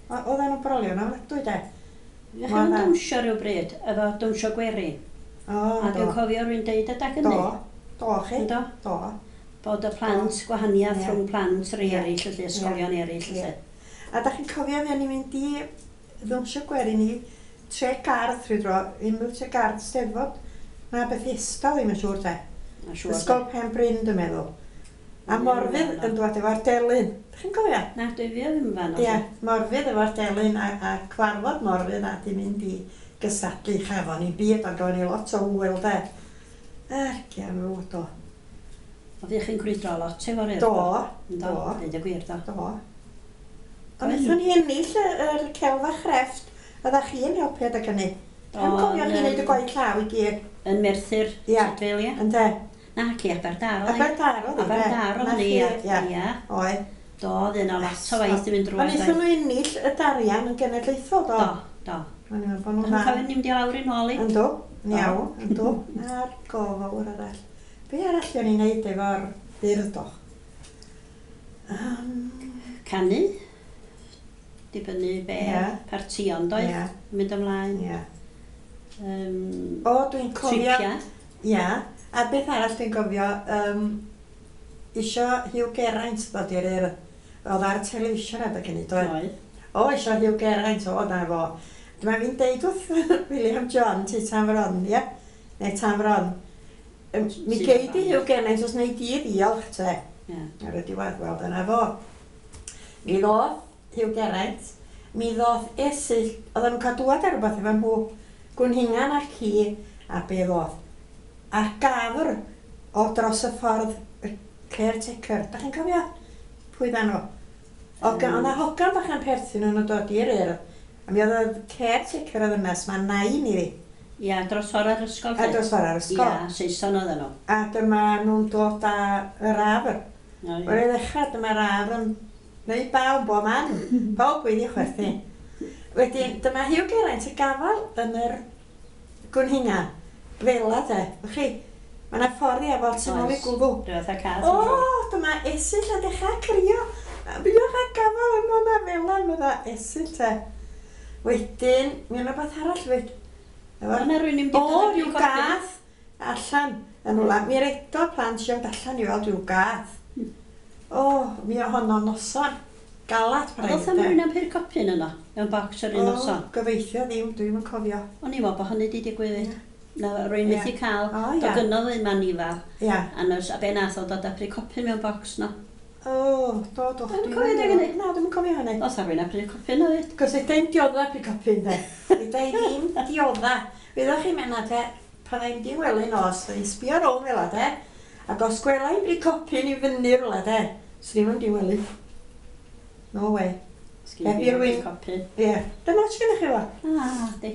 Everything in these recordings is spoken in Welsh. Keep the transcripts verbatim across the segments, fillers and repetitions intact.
Oedden nhw'n brolio yn ofnadwy de. Fuoch chi'n dawnsio rhyw bryd, efo dawnsio gwerin? O, A dwi'n cofio rwy'n deud adag hynny. Do, do chi. Do. Do. Bod y plant, gwahaniaeth Ie. rhwng plant rhai Ie. eraill, felly, ysgolion eraill, Ie. felly. A da chi'n cofio fi o'n i'n mynd i ddawnsio gwerin i Tregarth rhyw dro, unrhyw Tregarth Steddfod. Na Bethesda ddim yn siŵr te. Ma' siŵr. Ysgol Pen Bryn dwi'n meddwl. A Ie, Morfydd na. yn dod efo'r delyn. Dach chi'n cofio? Na, dwi fi ddim yn fan Ie, Morfydd efo'r delyn a, a cwarfod Morfydd a di mynd i gystadlu chafon i'n byd, ond gafon ni lot o hwyl de. Ergian fywyd o. O fi chi'n crwydro lot efo'r urdd. Do, Do, do, deud y gwir, do. do. Ond wnaethon ni ennill y, yr celf a chrefft, oeddech chi'n helpu adeg hynny. Dwi'n cofio chi'n neud y gwaith llaw i gyd. Yn Merthyr, Ie. Tudful, ie. Ynde? Na, ci Aberdâr oedd hi. Aberdâr oedd hi, de? Aberdâr oedd Na hi, chi, ie. ie. Ie. Oedd. Do, oedd yna lot o waith yn mynd Ond drwy. wnaethon nhw ennill y darian yn genedlaethol, do? Do, do. O'n i'n meddwl bod nhw'n Dach chi'n dda. cofio ni'n mynd i lawr i nôl i? Yndw, yn iawn, yndw. A'r gofawr arall. Be arall o'n i'n neud efo'r urdd o? Um, Canu. Dibynnu be Ie. partïon doedd. Ie. Mynd ymlaen. Ie. Um, O, dwi'n cofio... Tripia. Ia. A beth arall dwi'n cofio, um, isio Hugh Geraint ddod i'r urdd. Oedd ar y television adeg hynny, doedd? Doedd. O, isio Hugh Geraint, o, na fo. Dyma fi'n deud wrth William John, ti Tan Fron, ie? Neu Tan Fron. Yym, Mi Ti gei di Fron. Hugh Geraint os wnei di ddiolch te. Ie. Ar y diwedd, wel, dyna fo. Mi ddoth Hugh Geraint, mi ddoth Esyllt, oedden nhw'n cael dŵad ar rhywbeth efo nhw, Gwynhingan a ci, a be ddoth. A gafr o dros y ffordd, y caretaker. Da chi'n cofio? Pwy dda nhw? O, Yym. mm. O'na hogan bach yn perthyn nhw'n dod i'r urdd. A mi oedd y caretaker o ddynes, mae nain iddi. Ia, dros ffordd ar ysgol. A dros ffordd ar ysgol. Ia, Saeson oedden nhw. A dyma nhw'n dod â yr afr. O, ie. Wel, i ddechrau, dyma'r afr yn neud baw bob man. Pawb wedi chwerthin. Wedyn, dyma Hugh Geraint y gafal yn yr Gwynhingan. Fela de. Wch chi, mae yna ffordd i afal tu ôl i Oes. gwddw. Rhyw fath o cath. O, dyma Esyllt yn dechrau crio. A buoch a gafal yn hwnna fela, medda Esyllt te. Wedyn, mi o'na beth arall fyd. Efo'r- O'na rywun yn mynd i O, dod â rhyw copyn. gath allan yn wla. Mi redodd plant siarad allan i weld rhyw gath. O, mi o honno noson. Galat Oedd o'th am rywun am pur copyn yno, mewn bocs yr un noson. O, gobeithio ddim, dwi'm yn cofio. O'n i'n meddwl bod hynny wedi digwydd fyd. Na, rwy'n Ie. methu cael. O, ia. Do gynnodd un manifal. Ia. A nos, a be nath o dod â pry copyn mewn bocs no. O, do, do. Dwi'm yn Dwi'm cofio yn deg hynny. Na, dwi'm yn cofio hynny. Oedd rhywun â pry copyn o fyd. Cos fedra i'm diodda pry copyn, de. Fedra i ddim diodda. Wyddoch chi Menna, te, pan i'm di wely nos, fydda i'n sbio rownd fel 'a, de. Ac os gwela i'm pry copyn i fyny rwla, de, swn i'm yn di wely. No way. Sgin Heb i i ddim rywun- pry copyn. Ie. Dyna ots gennych chi fo? Ah, di.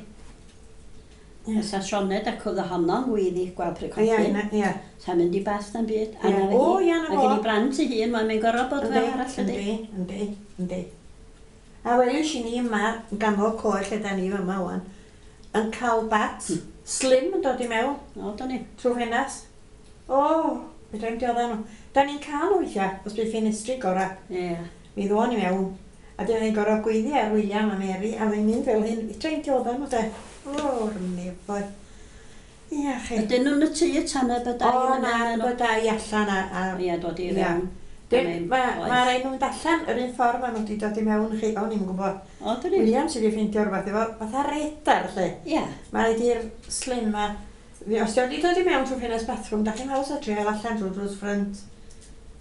Ie. Fysa Sioned ac oedd honno'n gwyddi gweld pry Ie, copyn. na- ie. Sa'n mynd i bas na'n byd. A Ie. na fe O, hi. ie, na Mae fo. gen i blant ei hun, mae'n mynd gorfod bod fel arall ydi. Yndi, yndi, yndi. A welish i ni yma, yn ganol coed lle da ni yma wan, yn cael bat slim yn dod i mewn O, do ni. trwy ffenas. O, fedra i'm diodda nhw. Da ni'n cael nhw weithiau, os bydd ffenestri gora. Ie. Mi ddoon i mewn. A dyn ni'n gorfod gweiddi ar William a Mary, a mae'n mynd fel hyn. Fedra i'm diodda nhw de. O'r nefoedd. Ia, chi. Ydyn nhw'n y tŷ y tan y bydau O, na, bydau allan a... a Ie, dod i Ie. fewn. Dyn- Mae'n Mae oes. ma rai nhw'n mynd allan yr un ffordd maen nhw wedi dod i mewn chi. O'n i'm yn gwybod. O, dyn ni. William sydd wedi ffeindio rhywbeth efo fatha radar lle. Ie. Mae rhaid i'r slim ma... Fi- Os di wedi dod i mewn trwy ffenest bathroom, da chi'n haws o trial allan trwy drws ffrynt.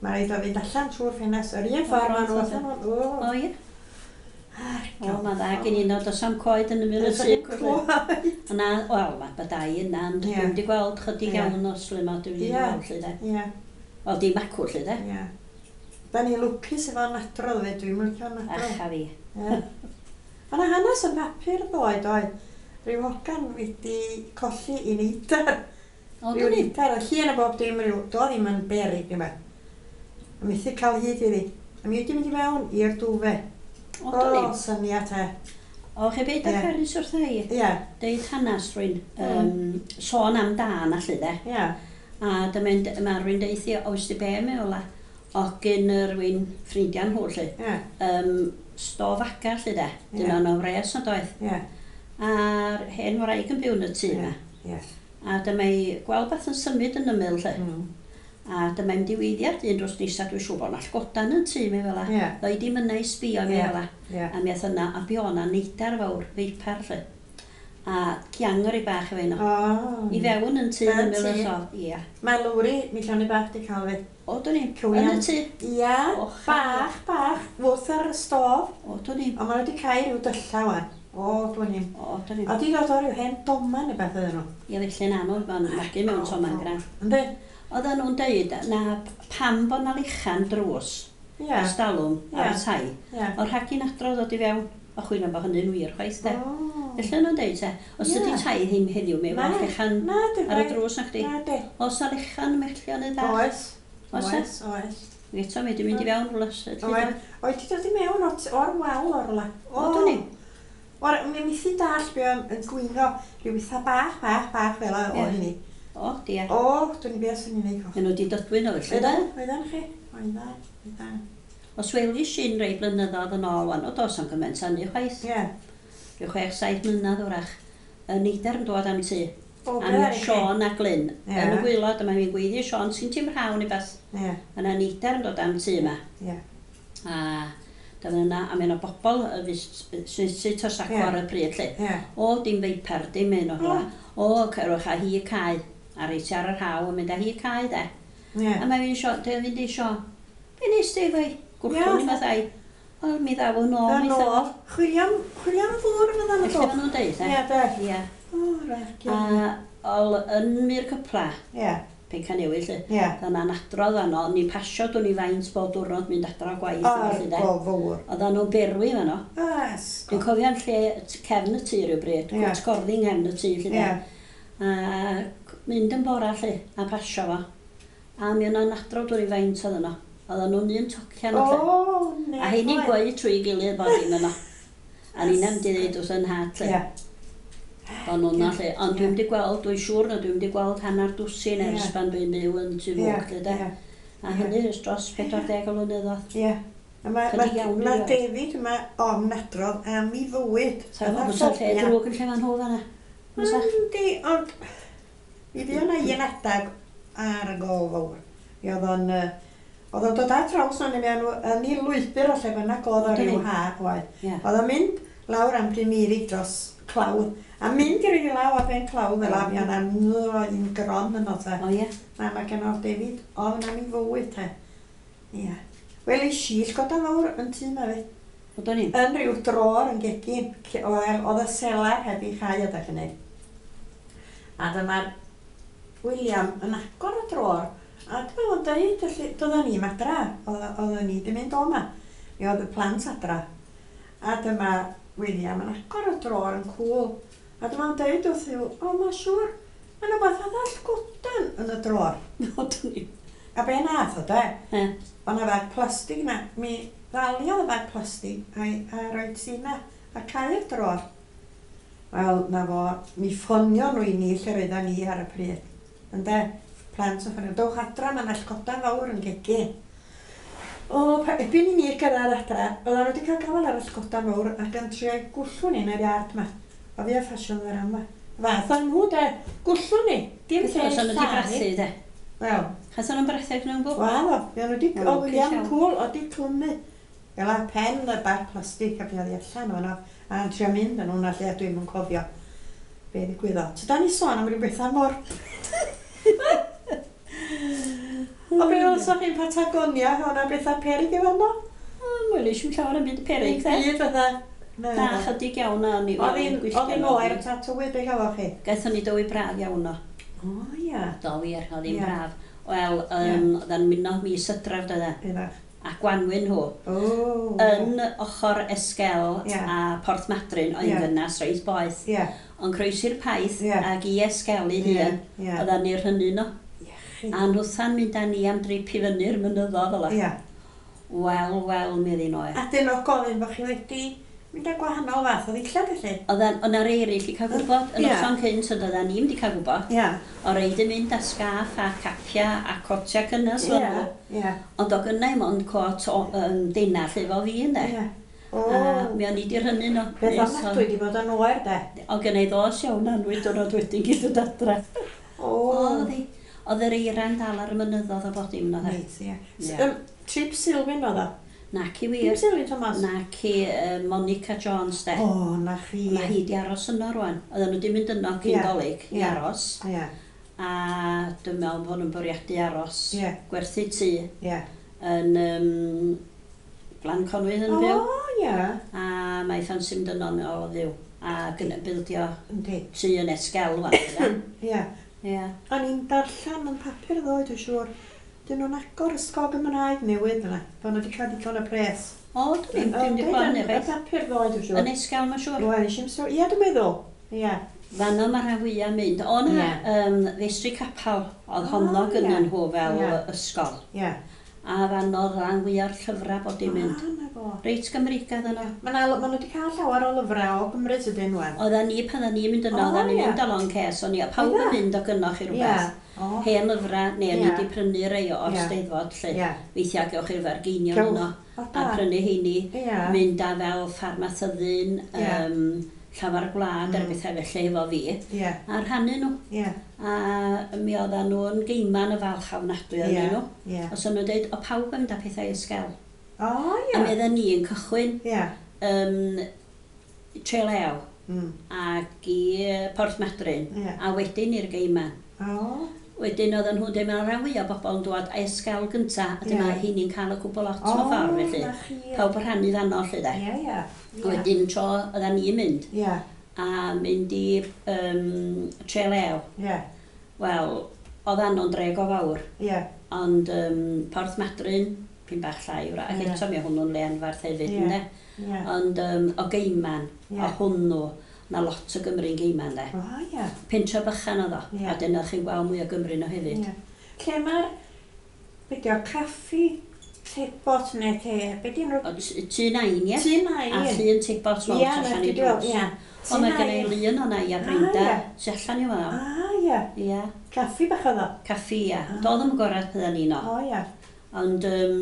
Mae rhaid o fynd allan trwy'r ffenest. Yr un ffordd maen nhw allan. O, O, ie. Ar O, mae'n dda gen i no, does am coed yn ymyl y Does tŷ. am coed. Yna, wel, mae bydau yna, ond Ie. dwi'm wedi gweld chydig Ie. iawn o slim o dwi'm wedi Ie. gweld lle de. Ie, Wel, dim acw lle de. ie. Da ni lwcus efo nadrodd fe, dwi'n licio nadrodd. Ach, a fi. Ie. Mae 'na hanes yn papur ddoe, doedd. Rhyw hogan wedi colli i neidar. O, Rhyw dyn ni. neidar, a llun o bob dim, rhyw, do ddim yn berig, ddim e. A methu cael hyd iddi. A mi wedi mynd i mewn i'r dwfe. O, dyn ni. O, syniad e. O, chi beth Ie. â Carys wrtha i? Ie, Deud hanes rwy'n Mm. um, sôn am dân allu de. ie. A dyma mae rwy'n deuthi, oes di be mewn la, o gyn y rwy'n ffrindiau nhw lle. Ie. Um, Stof aga lle de. Dyna Ie. o'n wres na doedd. Ie, A'r hen wraig yn byw yn y tŷ ie, yma. ie. A dyma i gweld beth yn symud yn ymyl lle. Mm. A dyma i'n diweiddia'r dyn dros nesa, dwi'n siŵr bod 'na llgodan yn tŷ mi fel 'a. Ie. Ddoi dim yna i sbio mi Ie. fel 'a. Ie. A mi ath yna, a bu o'na neidar fawr, feipar lle. A giang o'r i bach efo un o. O. I fewn yn tŷ Yn yn ymyl y tŷ. sof. Ia. Mae Lowri, mi lloni bach di cael fi. O, dwn i'm. Cywion. Yn y tŷ. Ia, O, bach, bach, wrth ar y stof. O, dwn i'm. Ond maen nhw wedi cael rhyw dylla wan. O, dwn i'm. O, dwn i'm. A di dod o ryw hen doman neu beth ydyn nhw. Ia, felly na nhw, ma'n magu mewn toman gran. Yndi? Oedden nhw'n deud na pam bod na lichan drws Ia, ers dalwm ar Ie. y tai. ia. O'r rhag i'n adrodd ddod i fewn. O chwilio bod hynny'n wir chwaith de. O. Felly nhw'n deud te, os Ie. ydy tai ddim heddiw, mi Na. efo lechan Na, di ar y drws na chdi. Na, di. Os na lechan mellio neu bach. Oes. Oes e? Oes, oes. Eto mi wedi mynd i fewn rhywle. Oes. Oed ti dod i mewn o'r o'r wal o'r rwla. O, dwn i. O'r, mi methu dall be o'n yn gwingo rhyw eitha bach, bach, bach fel o Ie. hynny. O, dia. O, dwi'n i beth sy'n ei wneud. Maen nhw wedi dodwyn o felly. Oeddan, oeddan chi? Oeddan, oeddan. Os welis i'n rei blynyddoedd yn ôl wan, o dos am gymaint hynny chwaith. Ie. Rhyw chwech, saith mlynedd wrach. Y neidar yn dod am tŷ. O, A be mi ar i chi? Siôn a Glyn. Ie. Yn y gwaelod, a mae'n fi'n gweiddi Siôn, sy'n ti'n rhaw neu beth. Ie, A na neidar yn dod am tŷ yma. ie. A dyma yna, a mae yna bobl y sy'n sy'n tosaco Ie. ar y pryd lle. Ie. O, dim feipar, dim un o hwnna. O, cerwch a hi cae. A reit ar yr haw yn mynd â hi cae de. Ie. A mae fi'n sio, dwi'n fynd i sio, be nes ti efo'i? Gwrthwn Ie. i mathau. Wel, mi ddaw yn ôl, Dda mi nôl. ddaw. Chwilio am, chwilio am ddŵr fyddan nhw Felly dod. maen nhw'n deud, e? Ie, de. Ie. O, rhaid. A ol yn mi'r cypla, Ie, Pencanewi, lle. ie. Dyna'n adrodd fanno, o'n i'n pasio dwn i faint bob diwrnod mynd adra o gwaith. a O'r felly, de. go fawr. Oedden nhw'n berwi fanno. Ys. Dwi'n cofio'n lle t- cefn y tŷ rhywbryd, Ie. cwt gorddi yng nghefn y tŷ, lle, de. Ie. A c- mynd yn bora, lle, a pasio fo. A mi o'na'n adrodd dwn i faint oedd yno. Oedden nhw'n un tocian o lle. O, ne. A heini'n gweud trwy gilydd bod dim yno. A ni'n am di ddeud wrth yn nhad, lle. Ie. O'n nhw'n lle. Ond Ie. dwi'n di gweld, dwi'n siŵr na dwi'n di gweld hanner dwsin ers Ie. pan dwi'n byw yn Tŷ Ie, Fwg, lle, de. ie. A hynny ers dros pedwar deg o flynyddoedd. Ie. A mae Chydig iawn ma i weld. David yma ofn adrodd am ei fywyd. Sa fo fysa lle drwg yn lle fan hw fanna. Fysa? Yndi, ond mi fuo 'na un adag ar y gol fawr. Mi oedd o'n yy, oedd o'n dod ar draws o'n mewn yn ei lwybr o lle bynnag oedd o Yndi. ryw ha oedd. Ie. Oedd o'n mynd lawr am Bryn dros clawdd, a mynd i ryw law ar ben clawdd fel a mi o'na un gron yno te. O ie. Na, mae gen o'r David ofn am ei fywyd te. Ie. Wel, i si llgoda fawr yn tŷ ma fi. O do'n i'm. Yn rhyw drôr yn gegin, lle oedd oedd y selar heb ei chau adeg hynny. A dyma'r William yn agor y drôr, a dyma fo'n deud, felly, doedden ni'm adra, oedd- oedden ni 'di mynd o 'ma. Mi oedd y plant adra. A dyma William yn agor y drôr yn cŵl. A dyma fo'n deud wrth i'w, o, ma siŵr, ma' 'na wbath fatha llgodan yn y drôr. O do'n i'm. A be nath o de? Ie. O' 'na fag plastig 'na, mi ddaliodd y fag plastig a'i a roid ti 'na a cau'r drôr. Wel, na fo, mi ffonio nhw i ni lle roeddan ni ar y pryd. Ynde? Plant yn ffonio, dowch adra, ma' 'na llgodan fawr yn gegin. O, pa, erbyn i ni gyrraedd adra, oedden nhw wedi cael gafael ar y llgodan fawr ac yn trio gwllw ni yn yr iard 'ma. O fi a ffasiwn yr yma. Fath o'n nhw de, gwllw ni, dim lle Os o'n nhw wedi lladd ni. brathu de. Wel, Chas o'n nhw'n brathu ac nhw'n gwybod? Wel, o, mi o'n nhw wedi, Wel, o lwcus William iawn. Cwl, o di clymu. Fel a pen y bag plastig a fi oedd i allan o'n a yn trio mynd yn hwnna lle dwi'm yn cofio be ddigwyddodd. So da ni sôn am ryw bethau mor... O be welsoch chi'n Patagonia, o'na bethau peryg efo yno? Wel, eisiau llawer yn byd peryg de. Byd fatha... Na, Na, chydig iawn a ni. Oedd hi'n oedd hi'n oer ta tywydd be gafoch chi? Gaethon ni dywy braf iawn o. O ia. Do wir, oedd hi'n Ie. braf. Wel, um, oedd yn mynd o mis Hydref doedd e. Ydach. A Gwanwyn nhw. O. Yn ochr Esquel Ie. a Porth Madryn oedd Ie. yn gynnas reit boeth. Ie. Ond croesi'r paith Ie. ag i Esquel ei Ie. hun. Ie. Oeddan ni'r hynny no. Iechyd. A nhwtha'n mynd â ni am drip i fyny'r mynyddodd fel 'a. Ie. Wel, wel, mi oedd hi'n oer. A dyn o gofyn bod chi wedi mynd â gwahanol fath o ddillad felly? Oeddan, o'na rei eraill i cael gwybod, yn Ie. noson cynt, ond oeddan ni'm di cael gwybod. Ie. O reid yn mynd â sgaff a capia a cotia cynnes Ie. fel nhw. Ie. Ond o gynnau mond cot o um, dena lle efo fi ynde. Ie. O. A mi o'n i di rhynnu nhw. Beth Nes o- ofnadwy di bod yn oer de. O gen i ddos iawn anwyd diwrnod wedyn gyd dod adra. O. Oedd hi. Oedd yr eira'n dal ar y mynyddodd o bod dim oedd e. Reit, ie. Ie. Yym, Trip Silwyn oedd o. Nac i Dim wir. Silwyn Thomas. Nac i uh, Monica Jones de. O, na chi. Mae hi di aros yno rwan. Oedden nhw di mynd yno cyn Ie, Dolig i ie. aros. Ie, A dwi'n meddwl bod nhw'n bwriadu aros. Ie. Gwerthu tŷ ie. yn um, Glan Conwy yn O, byw. ie. A mae ffansi mynd yno yn ôl o fyw. A gyn- bildio Yndi. tŷ yn Esgel wan. Ie. Ie. O'n i'n darllen yn papur ddoe, dwi'n siŵr. Dyn nhw'n agor ysgol Gymraeg newydd yna. Bod nhw wedi cael digon o pres. O, dwi'n ddim wedi gweld hynny Y chwaith. papur ddoe, dwi'n siŵr. Yn Esgel, mae'n siŵr. Wel, nes i'm sôn. Ie, dwi'n meddwl. Ie. Fanno mae rhan fwyaf mynd. O na, Ie. um, Feistri Capel, oedd O, honno ie. gynnyn nhw fel Ie. ysgol. Ie. A fanno oedd rhan fwyaf o'r llyfrau bod i'n mynd. Ah, na fo. Reit Gymreigaidd yno. Ma' 'na- ma' nhw wedi cael llawer o lyfrau o Gymru sydyn wan. Oedden ni, pan oedden ni'n mynd yno, O, oedden ni'n ie. mynd â long case, o'n i, a pawb Oedda? yn mynd o gynnoch i Ie. rhywbeth. O. Hen lyfrau, neu o'n i Ie. wedi prynu rei o'r Ie. Steddfod, lle. Ie. Weithiau gewch chi'r fargeinion Gewch. yno, O, a da. prynu heini. Ie. Mynd â fel ffarmasyddyn, Ie. um, llafar gwlad, mm. Mm. bethau felly efo fi, Ie. a rhannu nhw. Ie. A mi oedden nhw'n geiman y falch ofnadwy Ie. ohonyn nhw. Ie. Os o'n nhw'n dweud, o pawb yn mynd â pethau ysgel. O, A mi ie. oedden ni yn cychwyn Ie. um, Trelew Mm. ac i yy, Porth Madryn, Ie. a wedyn i'r geiman. O. Wedyn oedden nhw'n dweud, mae'n rhan fwyaf o bobl yn dod a esgel gynta, a dyma Ie. heini'n cael y cwbl lot O, mewn ffordd, felly. na chi. Pawb yn rhannu fanno, lle de. Ie, ie. Ie. Wedyn tro oedden ni'n mynd, Ie. a mynd i um, Trelew. Ie. Wel, oedd ano'n dreg o fawr, Ie. ond um, Porth Madryn, pyn bach llai, wrach, ac Ie. eto mi hwnnw'n le anfarth hefyd, Ie. ynde? Ie. Ond um, o Geiman, Ie. o hwnnw, na lot o Gymru'n Geiman, de. O, ie. Pentre bychan oedd o, Ie. a dyna chi'n gweld mwy o Gymru nhw hefyd. Ie. Lle mae'r, be di o, caffi, tebot neu te, be di nhw? O, t- Tŷ Nain, ie? Tŷ Nain. A llun tebot mawr Ie, tu na allan chdi i di weld, drws. ie. O, mae gen i lun o'na i a Brenda, Ah, ie. tu allan i weld. Ah, ie. Ie, Caffi bach oedd o. caffi, ia. Ah. Doedd ddim gorau pydda ni no. O, ie. Ond um,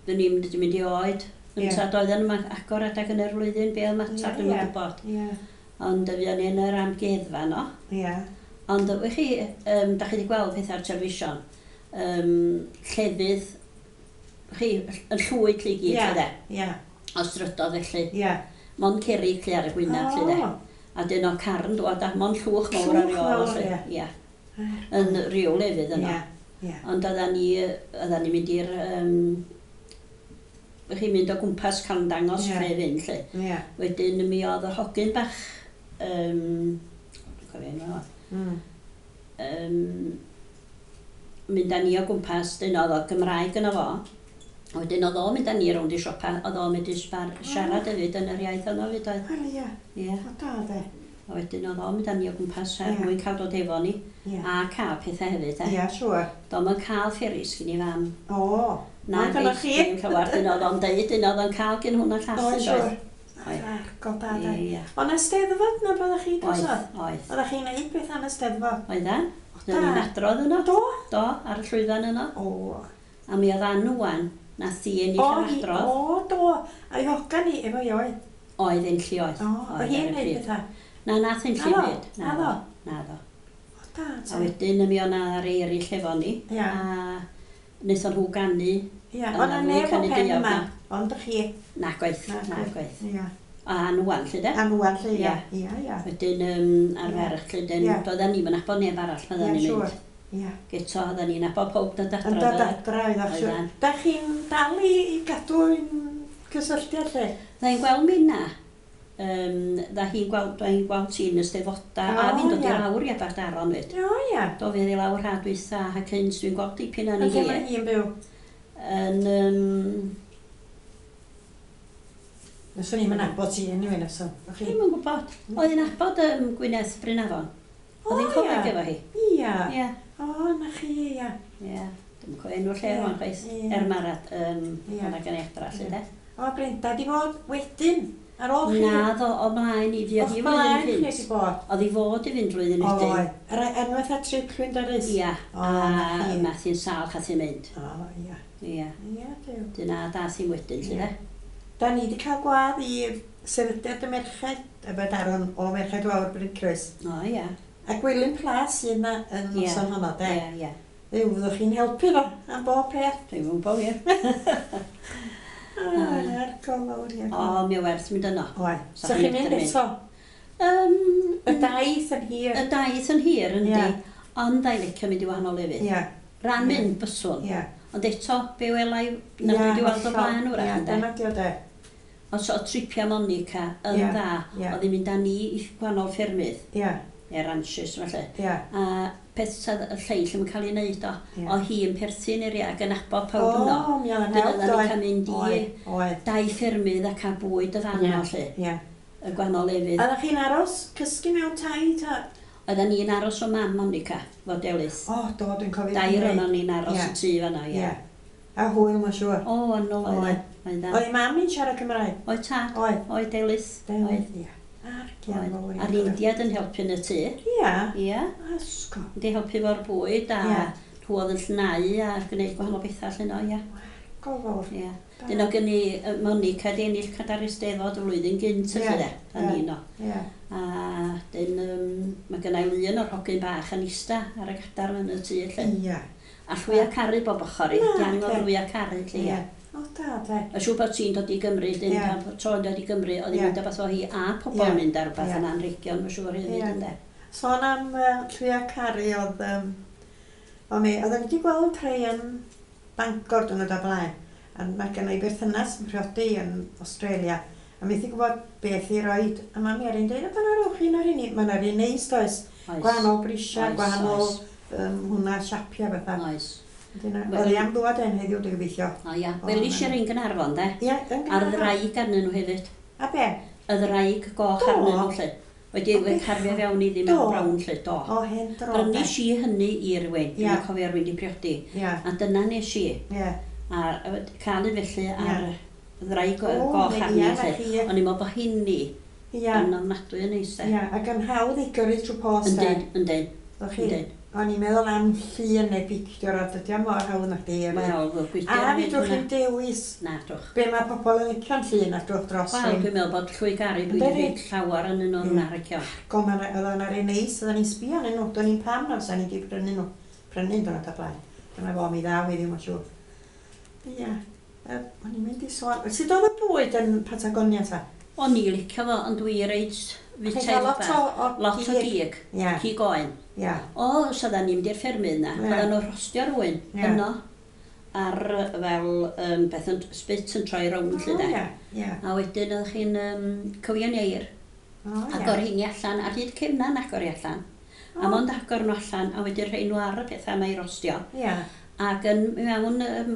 dyn ni'n mynd mynd i oed. Ie. Ynta doedd yn agor adag yn yr flwyddyn, be oedd mater, Ie, dwi'm yn ie. gwybod. Ie. Ond fuon ni yn yr amgueddfa no. Ie. Ond wych chi, um, da chi wedi gweld pethau ar television, um, llefydd, chi, yn llwyd lle i gyd, Ie. lle de. Ie. O strydodd felly. Ie. Mon cerig lle ar y gwynaf, lle de. O. A dyn o car yn dod a mon llwch mawr ar Llwch ei ôl, mawr, felly. ie. Ie. Yn ryw lefydd yno. Ie. Ie. Ond oedden ni, oedden ni'n mynd i'r, um, chi'n mynd o gwmpas cael yn dangos Ie. lle fynd, lle. Ie. Wedyn mi oedd yr hogyn bach, um, dwi'n cofio enw fo, Mm. um, mynd â ni o gwmpas, dyn oedd o Gymraeg yno fo. Wedyn oedd o'n mynd â ni rownd i siopa, oedd o'n mynd i sbar, siarad hefyd yn yr iaith yno fyd oedd. Wel, ie. Ie. O, da, de. A wedyn oedd o'n mynd â ni o gwmpas er Ie. mwyn cael dod efo ni. Ie. A cael pethau hefyd, e. Ie, siŵr. Do'm yn cael fferis gyn i fam. O. Na, Ond gynnoch chi? Dim llawer, dyn oedd o'n deud, dyn oedd o'n cael gyn hwnna llall O, yn siŵr. doedd. Oedd. Argol da, de. Ie. O, na steddfod na byddech chi Oedd, drosodd? oedd. Oeddech chi'n neud beth am y steddfod? Oeddan. O, Oeddan ni'n da. adrodd yno. Do? Do, ar y llwyfan yno. O. A mi oedd Ann wan, nath hi ennill O, yr hi, adrodd. o, do. A'i hogan hi efo i oedd. Oedd enlli oedd. O, Oedd o hi'n ar y neud pryd. pethau. Na, nath enlli Naddo, byd. naddo. Naddo. O, da, A te. wedyn mi o'na rei eraill efo ni. Ie. A wnaethon nhw ganu. Ie, O'na o na fwy neb o canu pen diawg yma. na. Ond chi. Na gwaith, Na na gwaith. Ie. A Ann wan, lle de. Ann wan, lle, ie. Ie. Ie, ie. Wedyn um, ar Ie. ferch, lle dyn, Ie. doedden ni'm yn nabod neb arall pan Ie, oedden ni'n siŵr. mynd. Ie. Geto, oedden ni'n nabod pob dod Yn adra. dod doedden. adra oedd o'ch siŵr. Oeddan. Da chi'n dal i, i gadw yn cysylltiad lle? Dda i'n gweld minna, um, dda hi'n gweld, dda hi'n gweld ti'n y steddfoda, a O, fi'n dod i ie. lawr i Aberdaron fyd. O, ie. Do fi i lawr ha dwytha, a cynt dwi'n gweld dipyn yn Yn ei lle hi. mae hi'n byw? Yn, um, Nyswn i'n nabod ti anyway, nyswn. O'ch chi? Dwi'm yn gwybod. Oedd hi'n nabod um, Gwyneth Brynafon. Oedd hi'n O, coleg ie. efo hi. Ia. Ie. O, na chi, ia. Ie. Dwi'm yn cofio enw'r lle Ie, rwan chwaith. ie. Er marad, um, Ie. yna gan ei adra, lle Ie. de. O, Brenda di fod wedyn, ar ôl chi. Na, ddo o mlaen i fi, oedd O'ch hi blaen flwyddyn chi cynt. di bod. Oedd hi fod i fynd flwyddyn O, wedyn. oedd. Yr enwaith a trip Llwyn Darys. Ia, O, a na chi. nath hi'n sâl chath hi'n mynd. O, ia. Ia. Ia, Duw. Dyna dath hi'n wedyn, lle Ie. de. Da ni wedi cael gwadd i sefydliad y merched, Aberdaron o Merched Wawr Bryncroes. O, ia. A Gwilym Plas sydd yna yn Ie. noson honno, de. Ia, ia. Dduw, fyddwch chi'n helpu fo am bob peth. Dwi'n gwybod wir. Argol fawr, ie. O, mi o werth mynd yno. Oe. Sa So chi'n chi'n mynd medru mynd? eto? Um, Y daith yn hir. Y daith yn hir, yndi. Ie. Ond a'i licio mynd i wahanol lefydd. Ie, Ran Ie. mynd byswn. ie. Ond eto, be welai na dwi wedi weld o blaen wrach, Ie, ynde. dyna di o de. Ond so, o tripia Monica yn Ie, dda, ie. oedd hi'n mynd â ni i gwahanol ffermydd, Ie, neu ranches, felly. ie. A peth sydd y lleill yn cael ei wneud o, Ie. o hi yn perthyn i'r ac yn nabod pawb yno. O, mi oedd yn Dyna help, oedden ni'n doedd. cael mynd i Oedd, oedd. dau ffermydd a cael bwyd y fan Ie. o, lle, Ie. y gwahanol lefydd. Oeddech chi'n aros cysgu mewn tai ta? Oedden ni'n aros o mam Monica, fo Delyth. O, do, dwi'n cofio. Dair onon ni'n aros Ie. y tŷ fan'na, ie. Ie. A hwyl, mae'n siŵr. O, yn ôl oedd. Oedd. Oedd. Oedd ei mam i'n siarad Cymraeg? Oedd tad. Oedd. Oedd Delyth. Oedd. Oedd, ie. Argian Oedd. fawr. A'r Indiad yn helpu yn y tŷ. Ie. Ie. Asgo. Wedi helpu fo'r bwyd a Ie. nhw oedd yn llnau a gwneud gwahanol bethau allan o, ie. Go fawr. Ie. Da. Dyn o gen i yy, Monica di ennill cadair Eisteddfod y flwyddyn gynt Ie, felly de, a ie. ni no. Ie. A dyn, um, mae gynna i lun o'r hogyn bach yn ista ar y gadar yn y tŷ lle. Ie. A llwy a caru bob ochr i, Na, diang o ocê. llwy a caru lle, Ie. ie. O, da, de. A siŵr bod ti'n dod i Gymru, dyn Ie. pan tro'n dod i Gymru, oedd hi'n Ie. mynd â beth o hi a pobl Ie. yn mynd ar rhywbeth Ie. yn anrhegion, mae'n siŵr hefyd, Ie. ynde. Sôn am uh, Llwya Caru oedd... Um, o mi, oedden ni wedi gweld rhai yn Bangor diwrnod o blaen. A mae gen i berthynas yn priodi yn Australia. A methu gwybod beth i roed. A mae Mary'n dweud, o, dyna rowch un o'r un. Mae yna un neis, does? Oes. Gwahanol brisiau, Oes, gwahanol oes. um, hwnna, siapia bethau. Oes. Dyna, Wel- oedd hi am ddwad en heddiw, dwi'n gobeithio. O ia, O, welis na. i'r un Gaernarfon, de. Ie, yn A'r Gaernarfon. ddraig arnyn nhw hefyd. A be? Y ddraig goch Do. arnyn nhw, lle. Wedi O, wedi bechod. carfio fewn iddi Do. mewn brown, lle, do. O, hen dro. de. Brynis i hynny i rywun, Ie. dwi'n cofio rywun di priodi. Ie, A dyna nes i. ie. A a cael un felly ar Ie. ddraig O, goch ie, arni, na lle. chi. O'n i'n meddwl bod hynny Ie, yn ofnadwy yn neis, de. ie. Ac yn hawdd i gyrru trwy post, de. Yndyn, yndyn, Ddech chi? yndyn. O'n i'n meddwl am llun neu pictiwr a dydy o mor hawdd na chdi. Wel, fel gwydr A hefyd fedrwch hwnna. chi'n dewis Na, drwch. be mae pobl yn licio'n llun a drwch dros Wel, rhywun. dwi'n meddwl bod llwy garu dwi wedi Yndi? rhaid llawer yn un o'r Ie. narcio. Go, ma' 'na- oedd o'na rei neis, oedden ni'n sbio arnyn nhw, do'n i'n pam na fysa ni wedi prynu nhw. Prynu yn dod o blaen. Dyna fo, mi ddaw i ddim yn siŵr. Ia, yy, o'n i'n mynd i sôn. Sut oedd y bwyd yn Patagonia ta? O'n i licio fo, ond dwi reit Chi'n fitaidd cael lot bach. o, o Lot o gig, Ia, cig oen. ia. O, os oedden ni'n mynd i'r ffermydd na, Ie. oedden nhw'n rhostio rhywun Ie. yno ar yy, fel um, beth yn spit yn troi rownd lle O, de. ia, ia. A wedyn oeddech chi'n um, cywion ieir, O, ia. agor heini allan, ar hyd cefnan agor i allan. A O. mond agor nhw allan, a wedyn rhoi nhw ar y pethau mae i rostio. Ia, Ac yn mewn um,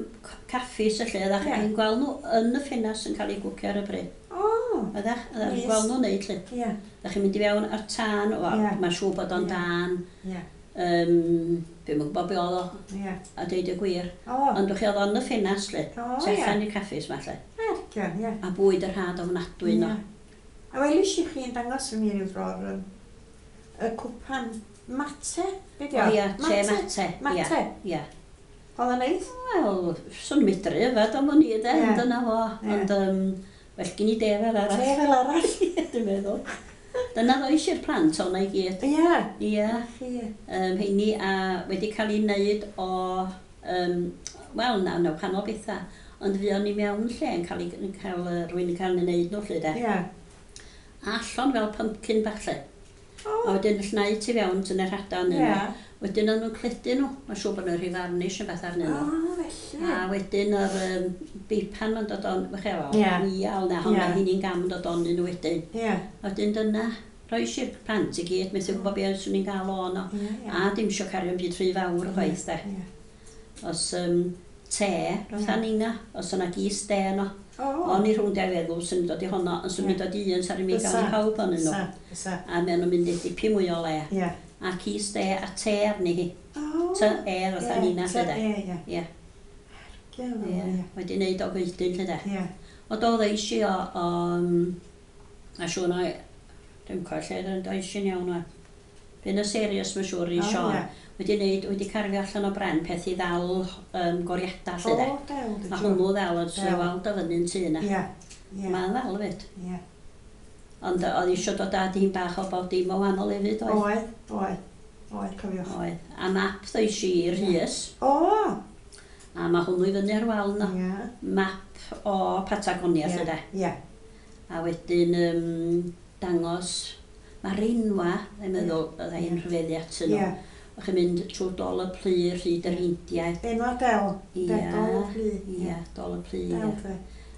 caffis y lle, oeddech Ie. chi'n gweld nhw yn y ffenast yn cael eu gwcio ar y bryd. o, Oeddech, oeddech chi'n Neis. gweld nhw'n neud lle. ia, Oeddech chi'n mynd i fewn ar tân, o, Ie. mae'n siŵr bod o'n Ie. dan, ia, um, dwi'm yn gwybod be oedd o, ia. a deud y gwir. O, Ond o'ch chi oedd o'n y ffenast lle, o, tu ia. allan i'r caffis ma lle. Argian, ia. A bwyd yr had ofnadwy yno. Ia. A welis i chi'n dangos i mi ryw dro'r yym, y cwpan mate, be di O o? ia, te mate. Ia, Mate. ia. Oedd o'n neis? Wel, swn i'n medru yfed am wn i de, Ie. ond dyna fo. Ie. Ond um, well gen i de fel arall. Te fel arall. Dwi'n meddwl. Dyna ddois i'r plant o'na i gyd. Ia. Ia, Chi. um, heini a wedi cael ei wneud o, um, wel na, na, wahanol bethau. Ond fuon ni mewn lle yn cael, ei, yn cael yy, rhywun yn cael ei wneud nhw lle de. Ia. A allan fel pumpkin bach lle. O, A wedyn llnau tu fewn tynnu'r rhada arnyn ia. nhw. Wedyn o'n nhw'n cledu nhw. Mae'n siŵr bod nhw'n rhy farnish yn beth arnyn O, nhw. felly. A wedyn yr um, beipan ma'n dod on, fych chi, Ie. wial na, honna Ie. hynny'n gam yn dod onyn nhw wedyn. Ia. A wedyn dyna, roes i'r plant i gyd, methu gwybod beth swn i'n gael o no. Ia, ia. A dim isio cario yn byd rhy fawr chwaith de. Ia. Os um, te, roedd Ie. nina, os yna gys de yno. O. O'n i rhwng dau feddwl sy'n dod i honno, ond sy'n Ie. mynd dod i un, sa'n mynd i gael Fysa. i pawb onyn nhw. Fysa, fysa. A maen nhw'n mynd i dipyn mwy o le. Ia. A cys de a te arni hi. O. Ty e fatha Ie, nina lle ty de. E, ia. Ie, Ie, ie. ia. Wedi wneud o goedyn lle de. Ia. O do ddeis i o, o um, a siŵr na, dwi'n cofio lle ddeis i'n iawn o. Bu'n y serious mae'n siŵr i O, Sean. ie. Wedi wneud, wedi carfio allan o bren peth i ddal um, goriadau lle de. O, dew, A hwnnw ddal yn Del. weld o fyny'n tŷ yna. Ia. Ie. Mae'n ddal hefyd. Ie. Ond oedd eisiau dod â dîm bach o bob dim o wahanol hefyd, oedd. Oedd, oedd, oedd, cofiwch. Oedd. A map ddois i i'r Rhys, O! a mae hwnnw i fyny ar wal yno. Ie. Map o Patagonia, lle de. Ie. A wedyn um, dangos, mae'r enwa, dwi'n meddwl, oedd hi'n rhyfeddu atyn nhw. Ie. O'ch chi'n mynd trwy Dol y Plu, rhyd yr Indiaid. Enwa del. Ie. Del Dol y Plu. Ie, Dol y Plu, Del, ie. de.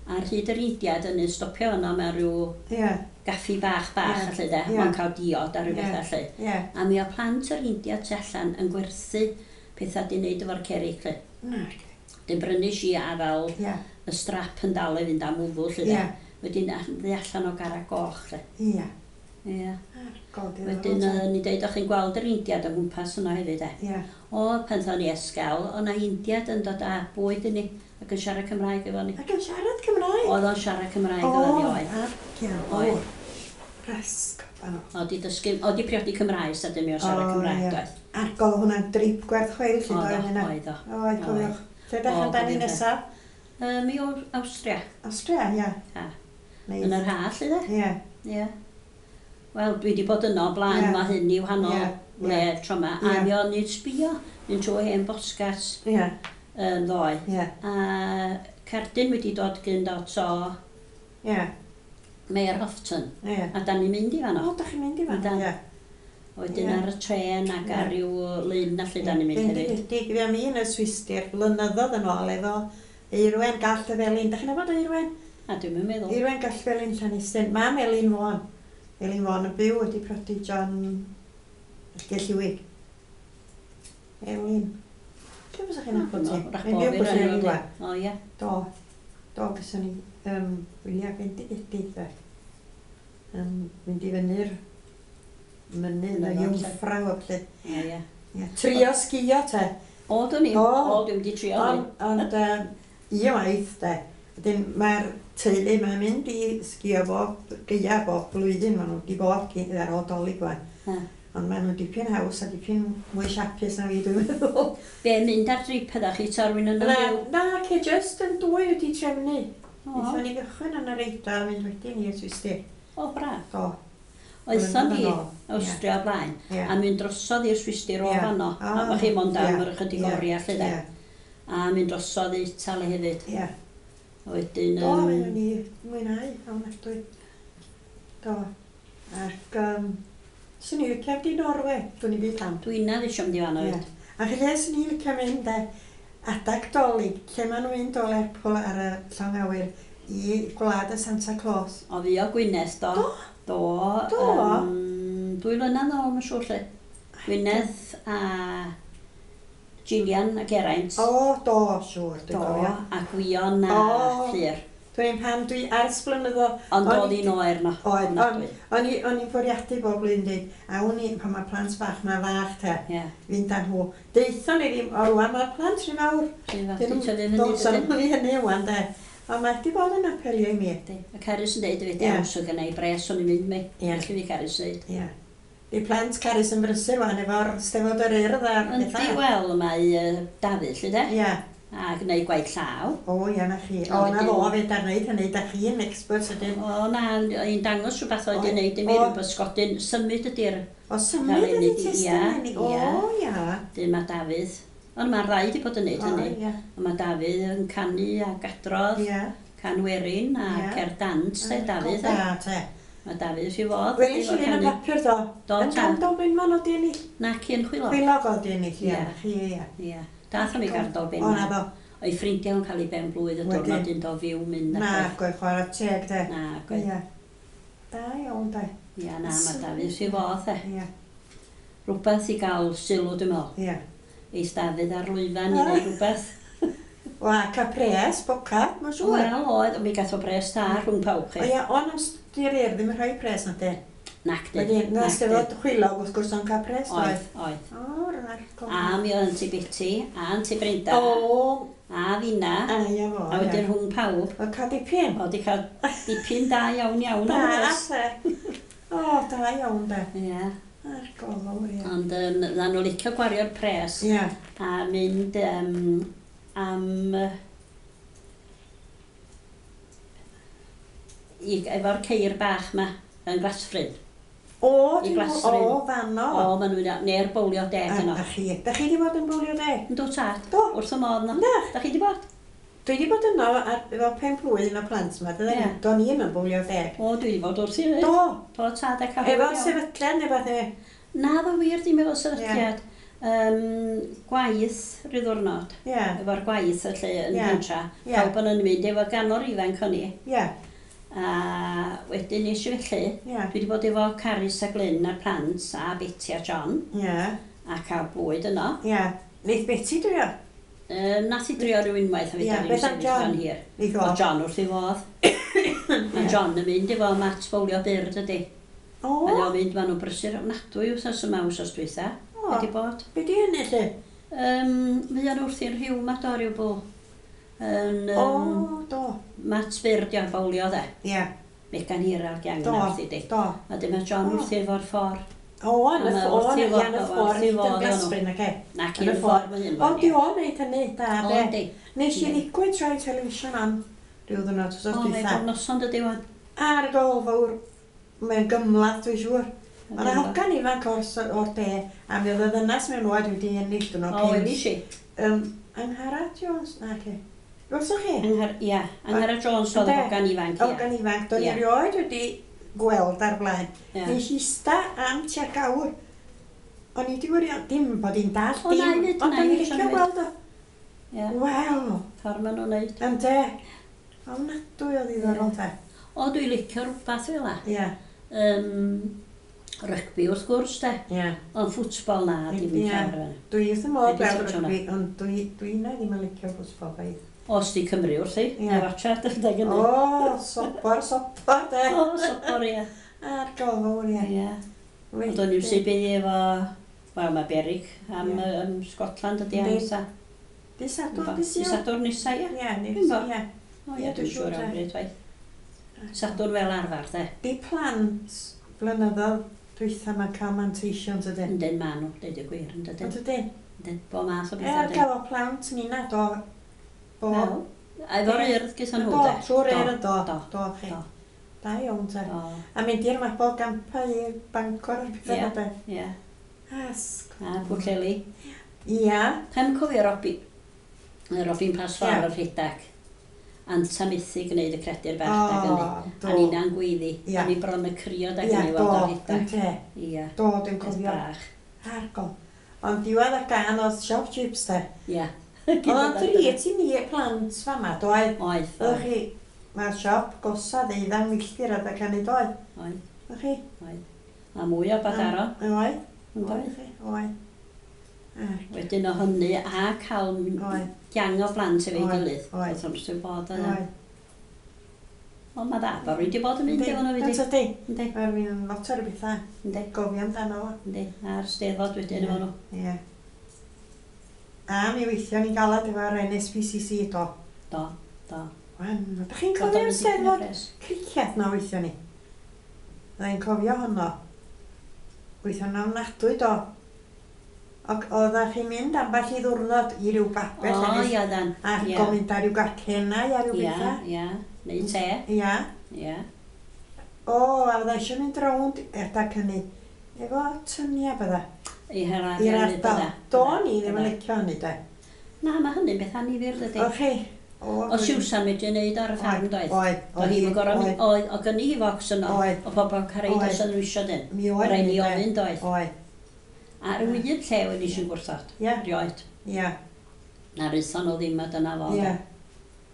Ar hyd yr Indiaid yn stopio yno mewn rhyw Ie. gaffi bach bach, Ie. yeah. lle de. Ie. Mae'n cael diod a rhyw Ie. beth felly. Ie. A mi o plant yr Indiaid tu allan yn gwerthu pethau di wneud efo'r cerig, lle. Na. Dyn brynu si a fel Ie. y strap yn dal i fynd am wddw, lle de. Ie. Wedyn ddi allan o gara goch, lle. Ie. Ie. Argol, diddorol, Wedyn, te. uh, ni deud, o'ch chi'n gweld yr Indiad o gwmpas yno hefyd, e. Ie. O, pan ddo'n ni esgal, o' na Indiad yn dod â bwyd i ni ac yn siarad Cymraeg efo ni. Ac yn siarad Cymraeg? Oedd o'n siarad Cymraeg efo ni, oedd. Argol. Oedd. Rasg. O, O, di dysgu, o, di priodi Cymraeg, sa dim i o siarad O, Cymraeg, ie. doedd. Argol, hwnna'n drip gwerth chweil, lle Oedd o, doedd hynna. oedd o. Oedd, cofiwch. Lle dach O, amdani cofiwch. nesaf? Yy, mi o Awstria. Awstria, ie. Ha. Neis. Yn yr ha, lle de? Ie. Ie. Wel, dwi wedi bod yno o blaen, Ie. mae hyn i wahanol Ie, le ie. tro yma. A Ie. mi o'n i'n sbio, mynd trwy hen bosgas Ie. yn ddoe. Ie. A cerdyn wedi dod gyn dot o Ie. Mayor Houghton. Ie. A da ni'n mynd i fanno. O, dach chi'n mynd i fan? Yndan. Ie. Wedyn Ie. ar y trên ac ar Ie. ryw lyn allu da ni'n mynd hefyd. Bendigedig, fi am un y Swistir blynyddoedd yn ôl efo Eirwen Gall y Felin. Dach chi'n nabod Eirwen? A dwi'm yn meddwl. Eirwen Gall Felin Llanistyn. Mam Elin Vaughan. Elin Vaughan yn byw wedi prodi John Gelliwig. Elin. Lle fysa chi'n nabod ti? Wrach Mae'n bo' byw fi bwys rhan yn o Iwa. O ie. Do. Do, gyson ni um, wyliau bendigedig de. Yn mynd i fyny'r mynydd y Mynydd, Jungfrau o felly. O ie. Ie, Trio sgio te. O, dwi'n i. O. O, dwi'n wedi trio Ond, ni. ond um, un waith de, wedyn mae'r teulu mae'n mynd i sgio bob gaea bob blwyddyn, maen nhw wedi bod gyn- ar ôl Dolig wan. Ha. Ond maen nhw'n dipyn haws a dipyn mwy siapus na fi, dwi'n meddwl. Be, mynd ar drip ydach chi ta rywun yn Na, byw? na, ce just yn dwy wedi trefnu. O, Wnaethon ni gychwyn yn yr Eidal, mynd wedyn i'r Swistir. o braf. Do. Oethon ni Blynyddoedd yn ôl. Awstria o blaen, Ie. a mynd drosodd i'r Swistir o Ie. fanno. O, A bo' chi mond am ie, yr ychydig ie, oriau lle de. Ie, A mynd drosodd i Itali hefyd. ie. A wedyn... Do, yym, mi o'n i mwynhau, ofnadwy. Do. Ac, um, swn i licio mynd i Norwe, dwi'n i byd pam. Dwi'n na eisiau mynd i fanno Ie. hefyd. Ac lle swn i licio mynd de, adag Dolig, lle maen nhw'n mynd o Lerpwl ar y llong awyr i gwlad y Santa Claus. O fi o Gwynedd, do. Do? Do. Do? yym, dwy flynedd nôl, mae'n siŵr lle. Gwynedd a Gillian a Geraint. O, do, siŵr, dwi'n Do, cofio. a Gwion a O. Llyr. Dwi'n pam dwi ers blynyddoedd. Ond O'n oedd i- hi'n oer no. Oedd, ond ofnadwy. o'n i o'n i'n bwriadu bob blwyddyn dweud, awn ni, pan mae plant bach, mae fach te, Ie. fynd â nhw. Deuthon ni ddim, o rwan mae'r plant rhy fawr. Rhy fawr, Dyn 'di nhw- tyfu fyny, Do's dydyn? nhw i hynny wan de. Ond mae di bod yn apelio i mi. Yndi. A Carys yn deud hefyd, Ie. iawn, so gynna i bres o'n i'n mynd mi. Ie. Felly fi Carys yn deud. Ie. Di plant Carys yn brysur wan efo'r Steddfod yr Urdd a'r Yndi, pethau. wel, mae yy, Dafydd, lle de, Ie. a gwneud gwaith llaw. O, ie, na chi. A O, na wedyn- fo, fe da'n neud hynny. Da chi'n expert ydyn. O, na, i'n dangos rhywbeth oedd O, i'n neud i mi, o. rhyw bysgodyn. Symud ydy'r O, symud Fel ydy unig- testyn ie, hynny. O, ie. ia. Dyn mae Dafydd. Ond mae'r ddau wedi bod yn neud O, hynny. ie. Ond mae Dafydd yn canu ac adrodd, Ie. can werin a Ie. cer dant, de, Dafydd. Da, e. te. Mae Dafydd wrth ei fodd. Welis efo i un y canu. papur do. Do, Yn ta. Gandol Benman o di ennill. Nac un chwilog. Chwilog o di ennill, ie. Ie. Chi, ie. Ie. Dath am ei Gandol O, na Benman. fo. O'i ffrindiau yn cael ei ben blwydd y Wedyn. diwrnod un do fyw mynd Na, ac gwaith chwarae teg, de. Na, gwaith. Ie. Da iawn, de. Ie, na, mae Dafydd wrth ei fodd, e. Ie, Rhywbeth i gael sylw, dwi'n meddwl. ie. Eis Dafydd ar lwyfan i wneud rhywbeth. Wa, ca pres, boca, mae'n siŵr. Wel, oedd, ond mi gath o bres da rhwng pawb O chi. ia, ond os di'r urdd ddim yn rhoi pres na de. Nac di. Wedyn, na nac di. Steddfod chwilog wrth gwrs o'n cael pres, Oedd, oedd. O, rhaid. A mi oedd Aunty Betty, a Aunty Brenda, O, a finna, a ia fo, a wedyn ie. rhwng pawb. Oedd cael dipyn. Oedd di cael dipyn da iawn iawn o Da, bres. te. O, da iawn, de. Ie, Ar gofal, ie. ond um, dda nhw licio gwario'r pres Ie. a mynd um, am... yy, i, efo'r ceir bach ma yn Glasfryn. O, I dwi'n Glasfryn. O, fanno. O, maen nhw'n neu'r bowlio deg A, yno. a chi, da chi wedi bod yn bowlio deg? Yndw tad. Do. Wrth y modd no. Na. Da chi wedi bod? Dwi wedi bod yno ar, efo pen blwydd o plant yma, Ie. do'n i ddim yn bowlio deg. O, dwi wedi bod wrth i fyd. Do, Do, tad a cael efo sefydliad neu beth e. Na, ddo wir ddim efo sefydliad. Um, gwaith rhyw ddwrnod. Ie, Efo'r gwaith y lle yn Ie. pentra. Ie. Pawb yn mynd efo ganor ifanc o'n i. ie, A wedyn nes i felly, ie, dwi wedi bod efo Carys a Glyn a'r plant a Betty a John ie, a cael bwyd yno. ie. Neith Betty drio? Um, nath i drio rhyw unwaith a Ie, fi da ni'n beth am sefyll John? fan hir. Neith O o. John wrth ei fodd. Mae John yn mynd efo Matt bowlio byr dydy. O, Mae o'n mynd, maen nhw'n brysur ofnadwy wsos yma wsos dwytha. O. Wedi bod. Be di hynny lle? Um, Mae o'n wrthi'n rhyw ma do ryw bwl. Yn, O, um, do. Matt byr di o'n bowlio de. Ie, Megan Hiral gang do, yna wrthi di. do. A dyma John O. wrthi efo'r ffordd. O, yn y A ma' ffordd, wrth ei ie, fodd- yn y wrth ffordd, ei nid yn fodd o'n nhw. Glasfryn, ac e. Na, Yn cyn y y ffordd mae hyn O, di o'n neud hynny, da, O, de. yndi. Nes i Yndi. ddigwydd troi television on rhyw ddwrnod wsos O, mae dwytha. bob noson dydy wan. Ar y gol fawr, mae'n gymlath, dwi'n siŵr. Mae yna hogan ifanc o'r, s- o'r de, a mi oedd y ddynas mewn oed wedi ennill dyn nhw. O, wedi si. Um, Angharad Jones, na ce. Gwelsoch chi? Anghar, ia, Angharad Jones oedd y Ynde? hogan ifanc, ia. Hogan ifanc, do'n i Ie. erioed wedi gweld ar blaen. Ie. Nes i ista am tua gawr. O'n i wedi gwirio, dim bod hi'n dall, O, na, dim, i fyd, ond na, o'n i i fyd, licio na, i fyd. gweld o. Ie, Wel, ffordd maen nhw'n neud. ynde. Ofnadwy o ddiddorol te. O, dwi'n licio rhywbeth fel la. Ie, Um, rygbi wrth gwrs, de. ie. Ond ffwtbol na, dim Ie. yn llawer yna. Dwi wrth y modd Dwi 'di gweld touch hwnna. rygbi, ond dwi, dwi na ddim yn licio ffwtbol chwaith. Os di Cymru wrthi, Ie. na watcha, dyna gynnu. O, sopor, sopor, de. O, sopor, ie. A'r gofawr, ie. Ie. Ond o'n i'n sy'n bydd efo... Wel, mae Berig am, Ie. um, Scotland ydi am Yndi. nesa. Di Sadwrn, di Di Sul? Sadwrn nesa, ie. Ie, ni, Dwi'n bo. ie. O Ie, ie, dwi'n dwi'n siŵr siŵr, am te. bryd waith. Sadwrn fel arfer, de. Di plant blynyddoedd dwytha ma'n cael manteision tydyn. Yndyn ma nhw, deud y gwir, yn dydyn. Yn dydyn. Yndyn, bo math o Er bethau. gael o plant ni na do. Bo. Wel, a efo'r urdd gyda nhw, Do, de. trwy'r urdd, do. Do, Do, chi. do. Da iawn te. Do, A mynd i'r Mabol Gampa i Bangor a'r pethau Ie. yeah. de. ie. Asg. A Pwllheli. Ia. Rhaid cofio Robi, Robin Pas Ffordd Ie. o'r rhedag. Anta methu gwneud y credu'r bach O, dag hynny. do. A ni'na'n gweiddi. Ie. A ni bron y crio dag Ia, hynny do. weld o'r rhedag. Ynte. Ia, Do, dwi'n peth cofio. bach. Argol. Ond diwedd y gan oedd siop chips te. Ia. Oedd o'n drit i ni plant fama, doedd. Oedd, Oeddech chi, mae'r siop gosa ddeuddang milltir adag hynny doedd. oedd, Oeddech chi? oedd. A mwy o Badaro. Oedd. Yn Oedd doedd? chi? Oedd. Ac, Wedyn o hynny a cael Oedd. gang o blant efo'i Oedd, gilydd. oedd. Oedd o'n sy'n bod yna. Oedd. Ond mae dda, bod rwy'n di bod yn mynd efo nhw Yndi, wedi. yndi. Yndi, Mae'r fi'n lot o'r bethau. yndi, Gofio amdano fo. yndi. A'r steddfod wedyn efo nhw. Ie. A mi weithio ni'n galad efo'r N S P C C do. Do, do. Wan, ydych chi'n Bod o'n cofio'r dipyn o steddfod bres. cricieth na weithio ni? Fydda i'n cofio honno. Weithio'n ofnadwy do. Ac oeddech chi'n mynd ambell i ddwrnod i ryw babell O, a nes- ia, dan. a Ia. gomynd ar ryw gacennau a ryw Ia, bethau. ia. Neu te. Ia. Ia. O, a fydda eisiau mynd rownd adag hynny. Efo tynia bydda. I hela I'r ardal. Do'n i ddim yn licio hynny de. Na, mae hynny'n beth annifyr, dydy. O chi? O, O Siwsan medru neud ar y ffarm, doedd? Oedd. Oedd hi'n gorau mynd, Oedd. oedd, oedd gynnu hi focs yno, Oedd. o bobl cael Oedd. os oedd nhw isio dyn. Mi oedd. Rhaid ni hynny, de. ofyn, doedd. Oedd. A rhyw un lle wedi eisiau gwrthod. Ie. Rioed. Ia. Na rwython nhw ddim a dyna fo. Ie. de.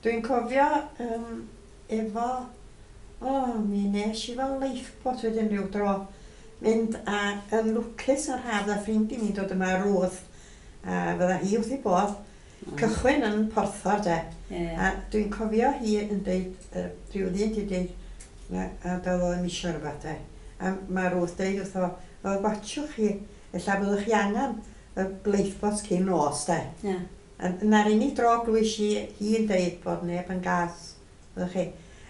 Dwi'n cofio um, efo, o, mi nes i fel lifeboat wedyn rhyw dro, mynd a yn lwcus yr haf a ffrind i mi dod yma Ruth, a fydda hi wrth ei bodd, Mm. cychwyn yn Porthor de. Ie. A dwi'n cofio hi yn deud, uh, rhyw ddyn di deud, na, a doedd o ddim isio rhywbeth de. A mae Ruth deud wrtho fo, "Wel, watsiwch chi, ella byddwch chi angen y lifeboat cyn nos de. Ie. A Na'r unig dro glwys i hi'n deud bod neb yn gas, fyddwch chi.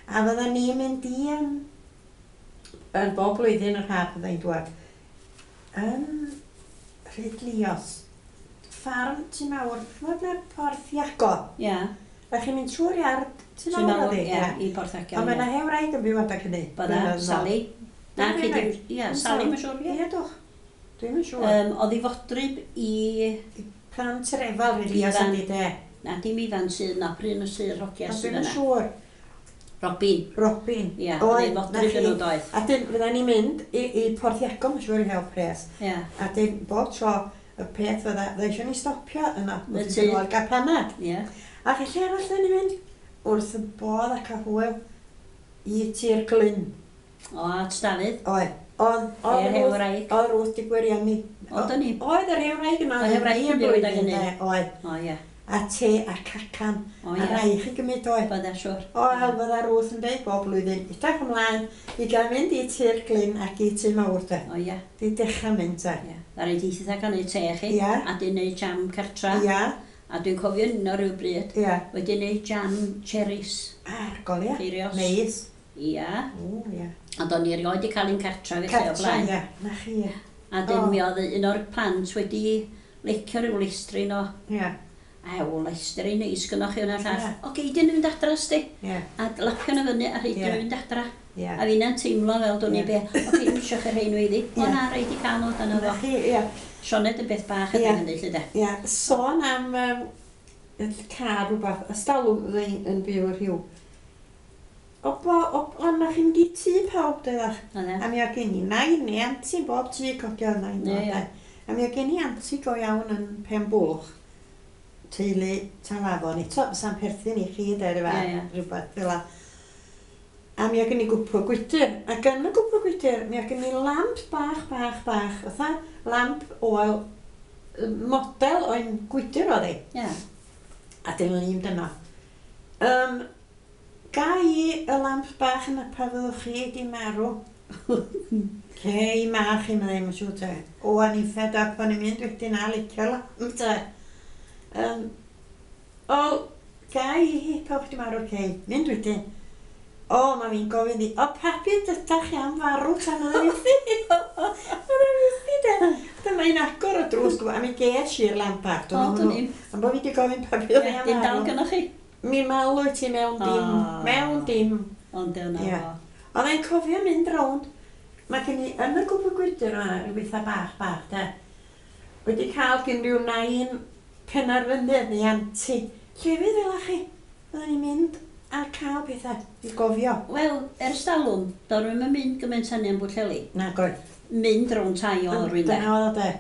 A fydda ni'n mynd i yn, yn bob blwyddyn yr haf fydda i'n dŵad, yn Rhydlios, ffarm tu mawr, ch'mod ble Porth Iago? Ie. A chi'n mynd trwy'r iard Tŷ Mawr oedd hi, ie, ie. i Borth Iago. Ond mae yna hen wraig yn byw adag hynny. Bydda, Blynedd yn ôl. Sally. Na, Dwi'n cei rhaid. di- ie, Sally, mae'n siŵr, ie. Ie, dwch. Dwi'm yn siŵr. Um, oedd hi fodryb i... Plant Refal, Elias Ifan. ydi de. Na, dim Ifan sydd na, pryn o sydd hogia Ond sydd dwi'm yn yna. siŵr. Robin. Robin. Ie, oedd hi Oedd, na fodryb chi. yn nhw doedd. A dyn, fydda ni'n mynd i, i Porth Iago, mae'n siŵr i hel pres. Ie. A dyn, bob tro, y peth fydda, fydda eisiau ni stopio yna. Y Wrth tŷ. i gael panad. Ie. Ac lle arall da ni'n mynd? Wrth y bodd ac a hwyl i Tir Glyn. O, at Dafydd. Oedd. Oedd, oedd Yr hen Ruth, wraig. oedd Ruth di gwirioni. Oedd o'n i. Oedd yr hen wraig yna. Oedd hen wraig yn byw gydag hynny. Oedd. O, ie. A te a cacan. O, A ie. rai chi gymryd oedd. Bydda, siŵr. O, el fydda Ruth yn deud bob blwyddyn, edrych ymlaen i gael mynd i Tir Glyn ac i Tŷ Mawr de. O, ie. Di dechrau mynd de. Ie. Ddaru di eitha gael neud te chi. Ie. A di neud jam cartra. Ia, A dwi'n cofio un o ryw bryd. ia. Wedi neud jam cherries. Argol, ia. Ceirios. Neis. Ia. O, ia. Ond o'n i erioed 'di cael un cartra felly o Cartra, blaen. ia. Na chi, ia. A dyn O. mi oedd un o'r plant wedi licio rhyw lestrin o Ia, Ew, lestrin neis gynnoch chi hwnna llall. Ie. O, gei di nhw fynd adra, sti. ia, A lapio nhw fyny a rhaid Ie. nhw fynd adra. ia. A finna'n teimlo fel dwn i Ie. be. O, gei ddim isio chi rhain nhw iddi. O Ie. na, rhaid i cael nhw dan Na o. chi, ia. Sioned yn beth bach Ie. ydyn hynny, lle de. Ia, sôn am um, car rhywbeth, ystalwm fyddai yn byw y rhyw. O, bo, o, o, na chi'n mynd i tŷ pawb, dweddach. Oedd e? A mi oedd gen i nain neu anti bob tŷ codio nain Ie, o, ie. de. A mi oedd gen i anti go iawn yn Pen Bwlch, teulu Talafon, eto fysa'n perthyn i chi, de, rhywbeth, Ie, ie. rhywbeth fel 'a. A mi oedd gen i gwpwr gwydr, ac yn y gwpwr gwydr, mi oedd gen i lamp bach, bach, bach, fatha lamp oel, model o'n gwydr oedd hi. Ie. A dyn ni'n dyna. Um, ga i y lamp bach yna pa fyddwch chi di marw? Cei ma chi, meddai, mae'n siŵr te. O, o'n i'n fed up, o'n i'n mynd wedyn a licio lamp te. Um, o, ga i hi pa chdi marw, cei. Mynd wedyn. O, mae fi'n gofyn i, o, papi, dydach chi am farw tan oedd yn fythi. Oedd yn fythi, de. Dyma i'n agor y drws, a mi ges i'r lamp bach. O, dwn i'm. Am bod fi wedi gofyn papi oedd Ie, hi am Dim dal farw. gynnoch chi. Mi malw i ti mewn dim, O. mewn dim. Ond dyna Ie. fo. Oedd e'n cofio mynd rownd. Mae gen i, yn y gwpwr gwydr yma, rhyw bethau bach, bach, de. Wedi cael gen rhyw nain penarfynydd neu anti. Llefydd fel chi. Oedden ni'n mynd a cael pethau i gofio. Wel, ers talwm, do'n i'm yn mynd gymaint hynny yn Bwllheli. Na, goed. Mynd rownd tai o rwy'n de. Dyna oedd o de.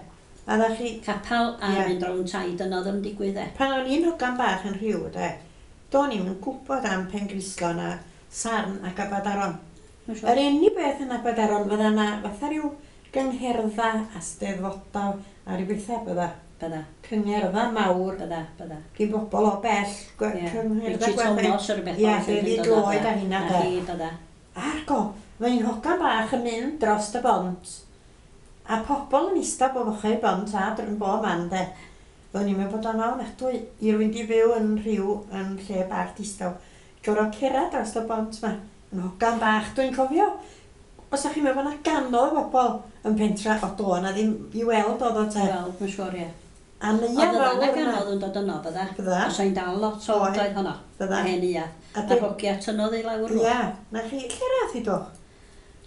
A dda chi, Capel a Ie. mynd rownd tai, dyna oedd yn digwydd e. pan o'n i'n hogan bach yn rhyw, de, do'n i'm yn gwybod am Pengrislo na Sarn ac Abadaron. Mae'n siŵr. Yr unig beth yn Abadaron fydda na fatha rhyw gyngherddau a steddfodau a rhyw bethau bydda. Bydda, Cyngerdda mawr bydda, bydda. gyn bobl o bell. gwe- Ie. Cyngherddau Richie gwerth- Thomas o'r beth Ie, oedd yn David dod o Lloyd de. a hynna Na de. chi, bydda. Argo, mae un hogan bach yn mynd dros y bont. A pobl yn ista bob ochr y bont a dr- yn bob man de. Oedden ni'n meddwl bod o'n ofnadwy i rywun di fyw yn rhyw yn lle bach distaw. Gorfod cerdded dros y bont ma. Yn hogan bach, dwi'n cofio. Os ydych chi'n meddwl bod 'na ganoedd o bobl yn pentra, o do, na ddim i weld oedd o te. Wel, mae'n siŵr, ie. A neuadd Oedd yna fawr yna. ganodd yn dod yno, bydda. Bydda. Os o'n dal lot o Oedd. oedd honno. Bydda. Hen ia. A A dim- hogia tynnodd i lawr nhw. Ia, na chi, lle rath i do?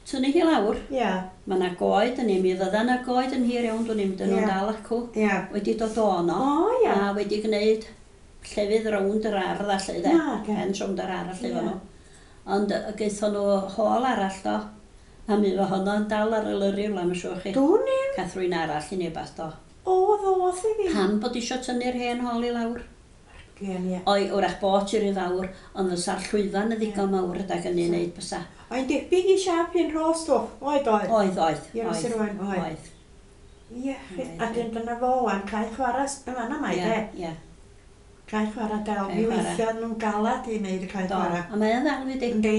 Tynnu hi lawr. Ia, Mae yna goed yn mi fydda yna goed yn hir iawn, dwi'n mynd nhw'n Ie. dal acw. ia. Wedi dod o yno. O, ia. A wedi gwneud llefydd rownd yr ardd a lle de. Na, ge. Pen rownd yr ardd lle Ie. fo nhw. Ond yy, gaethon nhw hôl arall do. A mi fo honno'n dal ar y lyri wla, mae'n siŵr chi. Dwn i'm. Cath rwy'n arall i neu beth do. O, ddoth i fi. Pam bod isio tynnu'r hen hôl i lawr? Gen, ie. Oi, wrach bod i ry fawr, ond fysa'r llwyfan yn ddigon mawr ydag yn ei wneud bysa. Mae'n debyg i siap un rhos dwch. Oed, oedd. Oedd, oedd, Ie, oedd, Sir Owen, oedd. oedd. Ie, Oedd. a dyn dyna fo wan, cae chwarae s- yn fan'na mae Ie, de. ie. Cae chwarae del. Cae Mi chwarae. weithio nhw'n galad i wneud y cae Do, chwarae. a mae o'n ddal wedi. Yndi,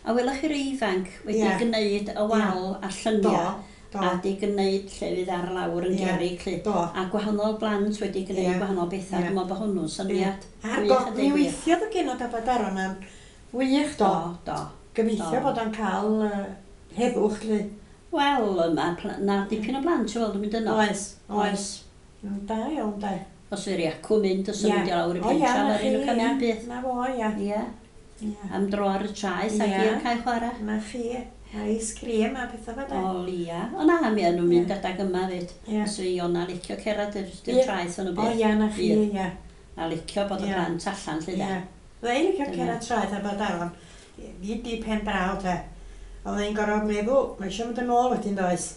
A welwch chi'r ifanc wedi Ie. gwneud y wal a do, lluniau do, a wedi gwneud llefydd ar lawr yn Ie. gerrig lly. do. A gwahanol blant wedi gwneud Ie. gwahanol bethau. Ie. Dwi'n meddwl bod hwnnw'n syniad. A'r gwych go, a mi deud gwir. weithiodd y genod Abadaron am wych do. Do, do. Gobeithio Do. bod o'n cael uh, heddwch lly. Wel, ma' pla- na dipyn o blant i weld yn mynd yno. Oes, oes. Mm, Da iawn, da. Os yw'r acw mynd, os yw'n mynd i lawr i O, ia, pentra, na mae'r un chi, o'n cael ia. un byth. Na fo, ia. Ie. Ie. Am dro ar y traeth ac Ie. i'r cae chwarae. Na chi, ice cream a pethau fel 'na. O lia. O na, mi o'n nhw'n mynd Ie. adag yma fyd. Ie. Os fi Iona licio cerdded i'r Ie. traeth yn y O byd. ia, na chi, Ie. ia. A licio bod y Ie. plant allan lle de. Ie. Fydda i'n licio Dyna. cerdded traeth a bod afon. Mi di pen draw te. Oedd hi'n gorfod meddwl, mae eisiau mynd yn ôl wedyn does?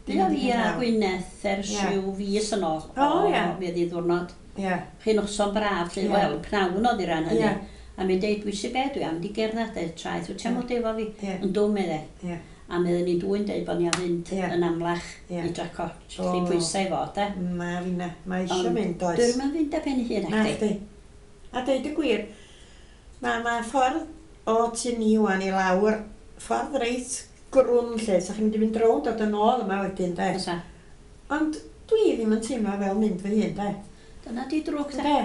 Fi o fi a Gwyneth ers Ie. rhyw fis yn ôl. O, ie. Mi oedd hi ddwrnod. Ie. Chi noson braf, lle, Ie. wel, pnawn oedd i ran hynny. Ie. A mi'n deud, dwi sy'n be dwi am di gerdded i'r traeth, wyt ti am Ie. fod efo fi? Ie. Yn dwm medde. Ie. A mi oedden ni dwy'n deud bod ni am fynd Ie. yn amlach Ie. i draco. O. Lle pwysau i fod, de. Ma finna, mae eisiau Ond mynd does? Dwi'n mynd fynd ar ben ei hun, Na ac di. chdi. A deud y gwir, mae ma ffordd o tu ni wan i lawr, ffordd reit grwn lle, sa chi'n mynd i fynd rownd dod yn ôl yma wedyn, de. Fysa. Ond dwi ddim yn teimlo fel mynd fy hun, de. Dyna di drwg, de. De.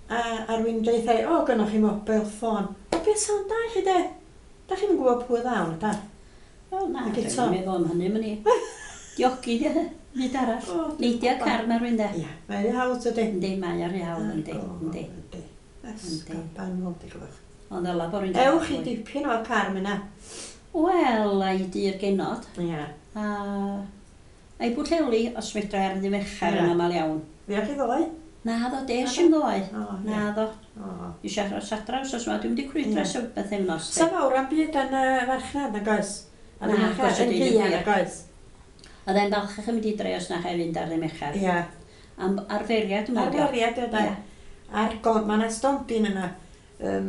A, a rwy'n deud, o, gynnoch chi mobile phone. O, beth sa'n da chi, de? Da chi'n gwybod pwy ddawn, da? Wel, na, Ac dwi'n eto. meddwl am hynny, mynd i. Diogi, di, byd arall. O, dwi'n Neidio gwbod. car mae rhywun, de. Ia, mae'n hawdd, ydy. Yndi, mae ar ei hawdd, yndi, yndi. Yndi. Yndi. Ysgol banol, di glwch. Ond ddela bod rhywun... Ewch i dipyn o'r car myna. Wel, a i di'r genod. Ia. A, a i Bwllheli, os medra ar ddydd Mercher Ie. yn aml iawn. Fuoch chi ddoe? Na ddo, des i'n ddoe. O, ie. Na ddo. O. Eisiau aros adra wsos yma, dwi'n mynd i crwydro Ie. ers bythefnos. Sa fawr am byd yn y farchnad, nag oes? Ar y Na, marchnad, oes, yn ydi, Rhian, gwir. nag oes? Oedd e'n falch yn mynd i dre os na chai fynd ar ddydd Mercher. Ia. Am arferiad, dwi'n meddwl. Arferiad, ydy. Ie. Ar go- mae yna stondin yna, um,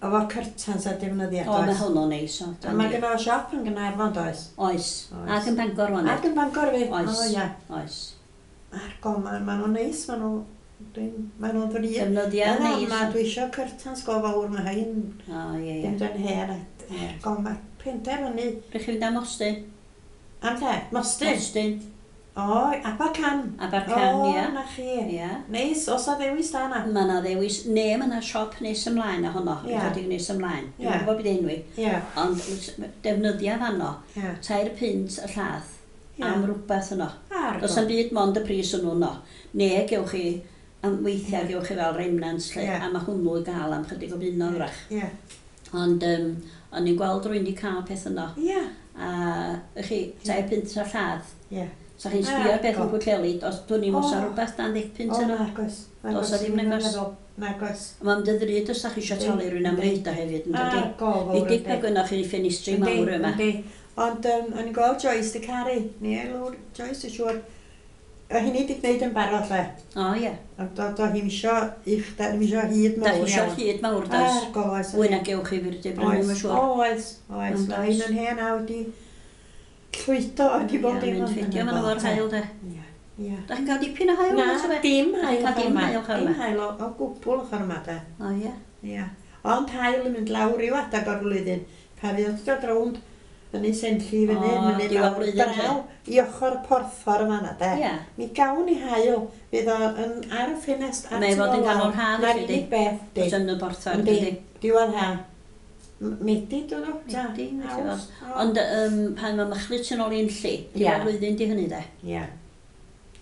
efo curtains a defnyddiad, O, mae oes? hwnnw'n neis. o, A mae yndi. gynno fo siop yn Gaernarfon, does? Oes. Oes. Ac yn Bangor wan. Ac yn Bangor fi? Oes. O, ia. Oes. Ar go, ma, ma nhw'n neis, ma nhw, dwi'n, ma nhw'n ddrud. Defnyddiad Yna, neis. ma, dwi isio curtains go fawr, mae hein O, ie, ie. ddim yn hen. a- Ie. Go, mae penderfynu. Rwych chi fynd am Mostyn? Am lle? Mostyn? Mostyn. O, Abercan. Abercan, O, ia. na chi. Ia. Neis, os a ddewis da na. Mae yna ddewis, ne, mae yna siop nes ymlaen a honno, Ie. ychydig nes ymlaen. Dwi'n Ie. gwybod beth enw i. Ie, Ond defnyddia fanno, ie. tair punt y llath Ie. am rhywbeth yno. Ar Does go. am byd mond y pris hwnnw yno. Ne, gewch chi, am weithiau gewch chi fel remnants lle, Ie. a mae hwnnw i gael am chydig o bunnoedd wrach. Ie. Ond um, o'n i'n gweld rhywun wedi cael peth yno. Ie. A chi, tair punt y llath. Ie. So chi'n sbio ar beth Ar yn go. Pwllheli, os dwi'n i'n O. os ar rhywbeth dan ddeg punt O, yno. nag oes. Nag Does oes, a ddim ddim yn nag oes. meddwl. Nag oes. Mae'n dy ddrud os da chi eisiau talu rhywun am reid o hefyd, yn dydi? Ar go fawr. Fidig pe gynnoch chi ffenestri mawr yma. Yndi. Ond um, o'n i'n gweld Joyce di caru. Ni lwr Joyce, dwi'n siŵr. A hynny di gwneud yn barod lle. O ie. Ond do, do hi'm isio uchder, ddim isio hyd Da mawr chi eisiau iawn. hyd mawr, does? Ar go oes. Fwy na gewch chi fyr di brynu, Oes, mae'n siŵr. oes, oes. Ond Mae oes. hyn yn hen a wedi llwydo wedi bod Ie, dim mynd ond ffidio yn y ma'n bol, o'r te. haul, de. Ie, ie. Da chi'n cael dipyn o haul? Na, ta be? dim Da haul chi'n cael ochr dim yma. haul ochr Dim yma. haul o, o gwbl ochr yma, de. O ie. Ie. Ond haul yn mynd lawr ryw adag o'r flwyddyn. Pa fydd o'n dod rownd fyny Senlli fyny, O, mynydd diwedd lawr blwyddyn, draw i ochr porffor yma na, de. Ie. Mi gawn ni haul, fydd o yn ar y ffenest ar Mae tu fod yn ôl ganol lawr. haf, Na'r felly, unig di? beth, di. Os yn y borthor, Yndi, dydi? diwedd ha. M- Medi, dyn nhw? Ta, Medi, felly Awst. O. Ond um, pan mae machlud yn ôl i'n lli, Ie. diwedd blwyddyn di hynny, de. Ie.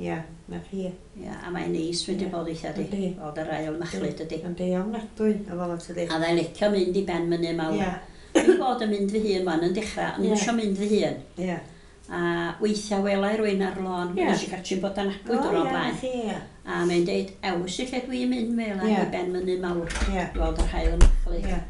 Ie, na chi. Ie, a mae'n neis wedi Ie. bod eitha di. Yndi. Bod yr ail machlud ydi. Yndi, ofnadwy, o fel ydy. A dda'n licio mynd i ben mynydd mawr. Ie, Dwi'n bod yn mynd fy hun wan yn dechrau, ond Ie. yeah. eisiau mynd fy hun. ie. A weithiau wela i rywun ar lôn, Ie. yeah. nes i catrin bod yn O, agwyd o'r ie, na blaen. chi, ie. A mae'n deud, ews i lle dwi'n mynd mela Ie. i ben mynydd mawr. Ie. Gweld yr haul yn machlud. Ie.